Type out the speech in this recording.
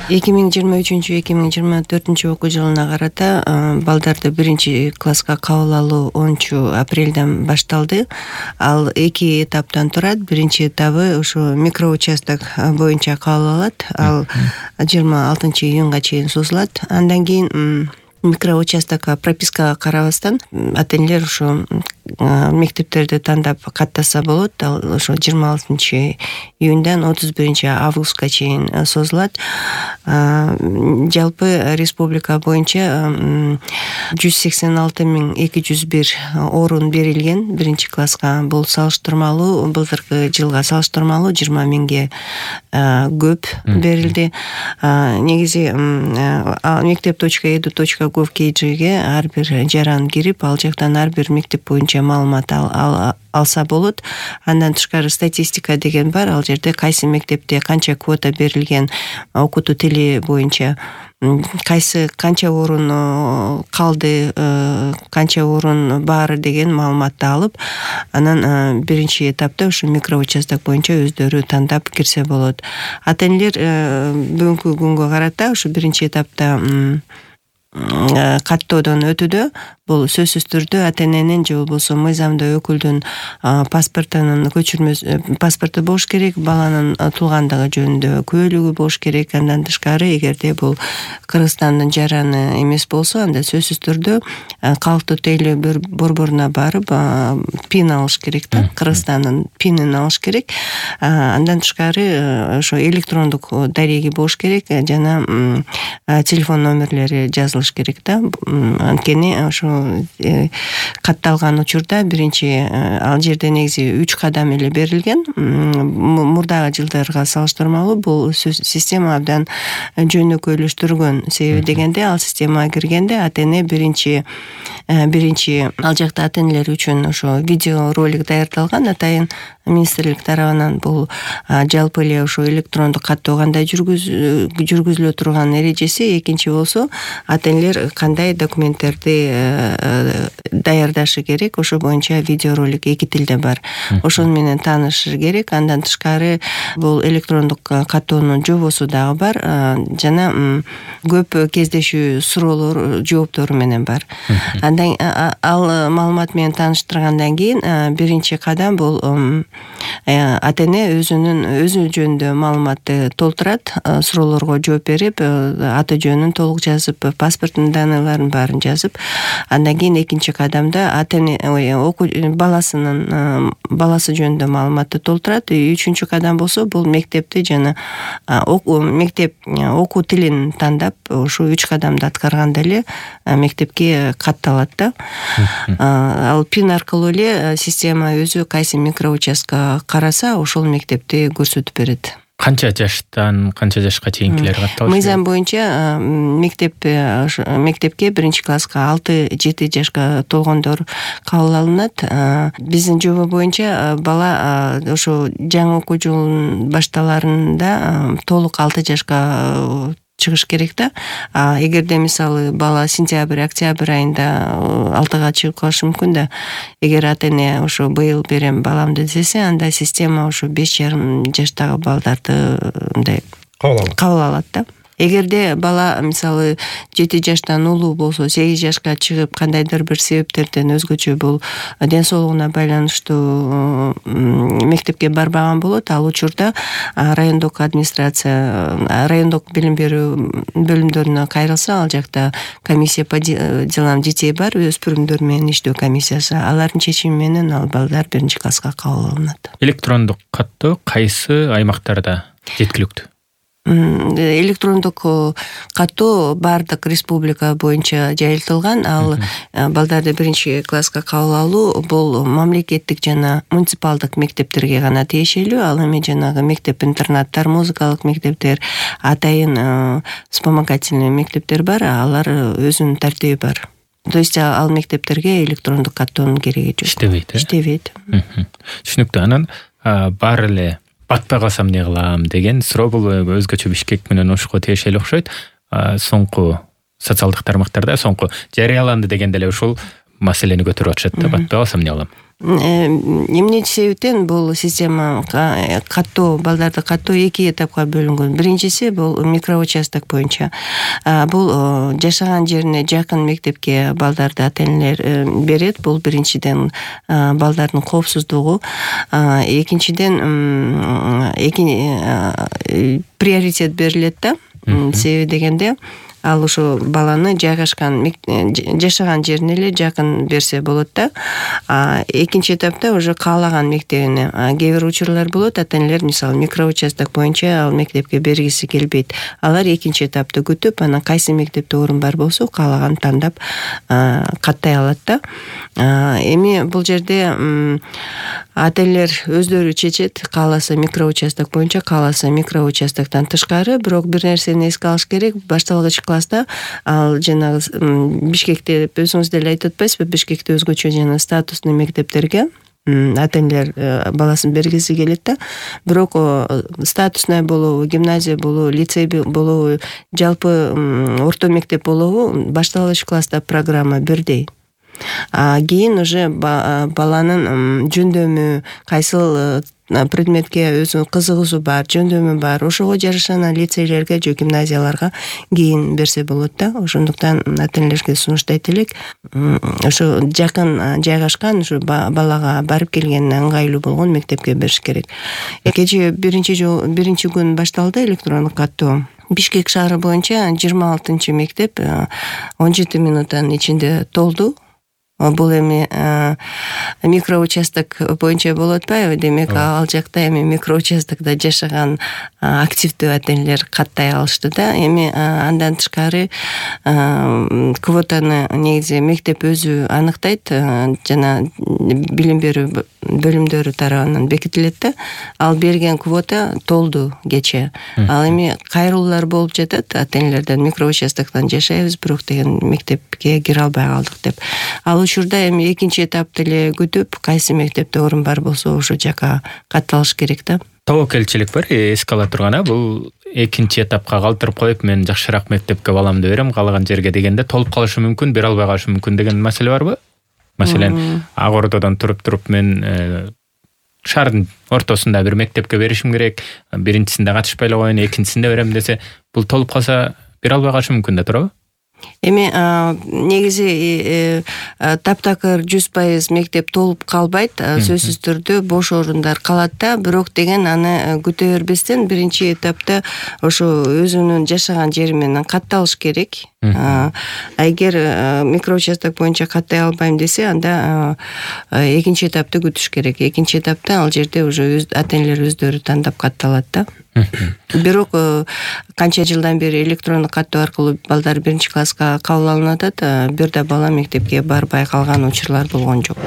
2023-2024 окуу жылына карата балдарды 1-класска кабыл алуу 10-апрелден башталды. Ал 2 этаптан турат. Биринчи этабы ушу микроучасток боюнча кабыл алат. Ал 26-июнга чейин созулат. Андан кийин микроучастокко пропискага карабастан ата-энелер ушу мектептерди тандап каттаса болот. Ал ошо 26-июндан 31-августка чейин созулат. Жалпы республика боюнча 186.201 орун берилген 1-класска. Бул салыштырмалуу, былтыркы жылга салыштырмалуу 20.000ге көп берилди. Негизи mектеп.edu.gov.kgге ар бир жаран кирип, ал жактан ар бир мектеп боюнча маалымат алса болот. Андан тышкары статистика деген бар. Ал жерде кайсы мектепте канча квота берилген, окутуу тили боюнча канча орун калды, канча орун бар деген маалыматты алып, анан биринчи этапта ушу микроучасток боюнча өздөрү тандап кирсе болот. Ата-энелер бүгүнкү күнгө карата ушу биринчи этапта каттоодон өтүүдө. Бул сөзсүз түрдө ата-эненин же болбосо мыйзамдуу өкүлдүн паспортунун паспорту болуш керек, баланын туулгандыгы жөнүндө күбөлүгү болуш керек. Андан тышкары, эгерде бул Кыргызстандын жараны эмес болсо, анда сөзсүз түрдө калктуу тейлөө борборуна барып пин алыш керек да, Кыргызстандын пинин алыш керек. Андан тышкары ошо электрондук дареги болуш керек жана телефон номерлери жазылыш керек да. Анткени ошо катталган учурда биринчи ал жерде негизи 3 кадам эле берилген. Мурдагы жылдарга салыштырмалуу бул система абдан жөнөкөйлөштүргөн. Себеби дегенде, ал системага киргенде ата-эне биринчи ал жакта ата-энелер үчүн ошо видео ролик даярдалган. Атайын министрлик тарабынан бул жалпы эле ошо электрондук каттоо кандай жүргүзүлө турган эрежеси. Экинчи болсо, ата-энелер кандай документтерди даярдашы керек, ошо боюнча видеоролик 2 тилде бар. Ошону менен таанышышы керек. Андан тышкары бул электрондук каттоонун жобосу дагы бар жана көп кездешүү суроолор жооптору менен бар. Андан ал маалымат менен тааныштыргандан кийин биринчи кадам бул ата-эне өзү жөнүндө маалыматты толтурат, суроолорго жооп берип, аты жөнүн толук жазып, паспорттун данныйларын баарын жазып, андан кийин экинчи кадамда ата-эне баласы жөнүндө маалыматты толтурат. Үчүнчү кадам болсо, бул мектепти жана мектеп окуу тилин тандап, ошо 3 кадамды аткарганда эле мектепке катталат да. Ал пин аркылуу эле система өзү кайсы микроучастка караса, ошол мектепти көрсөтүп берет. Канча жаштан канча жашка чейинкилер катталышы? Мыйзам боюнча мектепке 1-класска 6-7 жашка толгондор кабыл алынат. Биздин жоба боюнча бала ошо жаңы окуу жылынын башталарында толук 6 жашка чыгыш керек да. Эгерде мисалы бала сентябрь, октябрь айында 6га чыгып калышы мүмкүн да. Эгер ата-эне ошо быйыл берем баламды десе, анда система ошо 5,5 жаштагы балдарды мындай кабыл алат да. Эгерде бала мисалы 7 жаштан улуу болсо, 8 жашка чыгып кандайдыр бир себептерден өзгөчө бул ден соолугуна байланыштуу мектепке барбаган болот, ал учурда райондук администрация, райондук билим берүү бөлүмдөрүнө кайрылса, ал жакта комиссия по делам детей бар, өспүрүмдөр менен иштөө комиссиясы. Алардын чечими менен ал балдар 1-класска кабыл алынат. Электрондук каттоо кайсы аймактарда жеткиликтүү? Электрондук каттоо бардык республика боюнча жайылтылган. Ал балдарды 1-класска кабыл алуу бул мамлекеттик жана муниципалдык мектептерге гана тиешелүү. Ал эми жанагы мектеп-интернаттар, музыкалык мектептер, атайын вспомогательный мектептер бар. Алар өзүнүн тартиби бар. То есть ал мектептерге электрондук каттоонун кереги жок. Иштебейт. Түшүнүктүү. Анан бар эле батпай калсам эмне кылам деген суроо бул өзгөчө Бишкек менен Ошко тиешелүү окшойт. Соңку социалдык тармактарда соңку жарыяланды дегенде эле ушул маселени көтөрүп атышат да, батпай калсам эмне кылам? Эмне себептен бул система каттоо, балдарды каттоо 2 этапка бөлүнгөн. Биринчиси бул микроучасток боюнча. Бул жашаган жерине жакын мектепке балдарды ата-энелер берет. Бул биринчиден балдардын коопсуздугу, экинчиден приоритет берилет да. Себеби дегенде ал ошо баланы жашаган жерине эле жакын берсе болот да. Экинчи этапта уже каалаган мектебине. Кээ бир учурлар болот, ата-энелер мисалы микроучасток боюнча ал мектепке бергиси келбейт. Алар экинчи этапты күтүп, анан кайсы мектепте орун бар болсо каалаган тандап каттай алат да. Эми бул жерде ата-энелер өздөрү чечет, кааласа микроучасток боюнча, кааласа микроучастоктон тышкары. Бирок бир нерсени эске алыш керек, башталгыч класста ал жанагы Бишкекте өзүңүз деле айтып атпайсызбы, Бишкекте өзгөчө жана статустный мектептерге ата-энелер баласын бергиси келет да. Бирок статусный болобу, гимназия болобу, лицей болобу, жалпы орто мектеп болобу, башталгыч класста программа бирдей. Кийин уже баланын жөндөмү, кайсыл предметке өзүнүн кызыгуусу бар, жөндөмү бар, ошого жараша лицейлерге же гимназияларга кийин берсе болот да. Ошондуктан ата-энелерге сунуштайт элек, ошо жакын жайгашкан, ушу балага барып келгенине ыңгайлуу болгон мектепке бериш керек. Кечээ биринчи күн башталды электрондук каттоо. Бишкек шаары боюнча 26 мектеп 17 минуттун ичинде толду. Бул эми микроучасток боюнча болуп атпайбы? Демек, ал жакта эми микроучастокто жашаган активдүү ата-энелер каттай алышты да. Эми андан тышкары квотаны негизи мектеп өзү аныктайт, жана билим берүү бөлүмдөрү тарабынан бекитилет да. Ал берген квота толду кечээ. Ал эми кайрылуулар болуп жатат ата-энелерден, микроучастоктон жашайбыз, бирок деген мектепке кире албай калдык деп. Ал учурда эми экинчи этапты эле күтүп, кайсы мектепте орун бар болсо ошо жака катталыш керек да. Тобокелчилик бар, эске ала турган, бул экинчи этапка калтырып коюп, мен жакшыраак мектепке баламды берем, каалаган жерге дегенде толуп калышы мүмкүн, бере албай калышы мүмкүн деген маселе барбы? Маселен, Ак Ордодон туруп мен шаардын ортосунда бир мектепке беришим керек, биринчисинде катышпай эле коеюн, экинчисинде берем десе, бул толуп калса бере албай калышы мүмкүн да туурабы? Эми негизи таптакыр 100% мектеп толуп калбайт, сөзсүз түрдө бош орундар калат да, бирок деген аны күтө бербестен биринчи этапта ошо өзүнүн жашаган жери менен катталыш керек. Эгер микроучасток боюнча каттай албайм десе, анда экинчи этапты күтүш керек. Экинчи этапта ал жерде уже ата-энелер өздөрү тандап катталат да. Бирок канча жылдан бери электрондук каттоо аркылуу балдар биринчи класска кабыл алынып атат, бир да бала мектепке барбай калган учурлар болгон жок.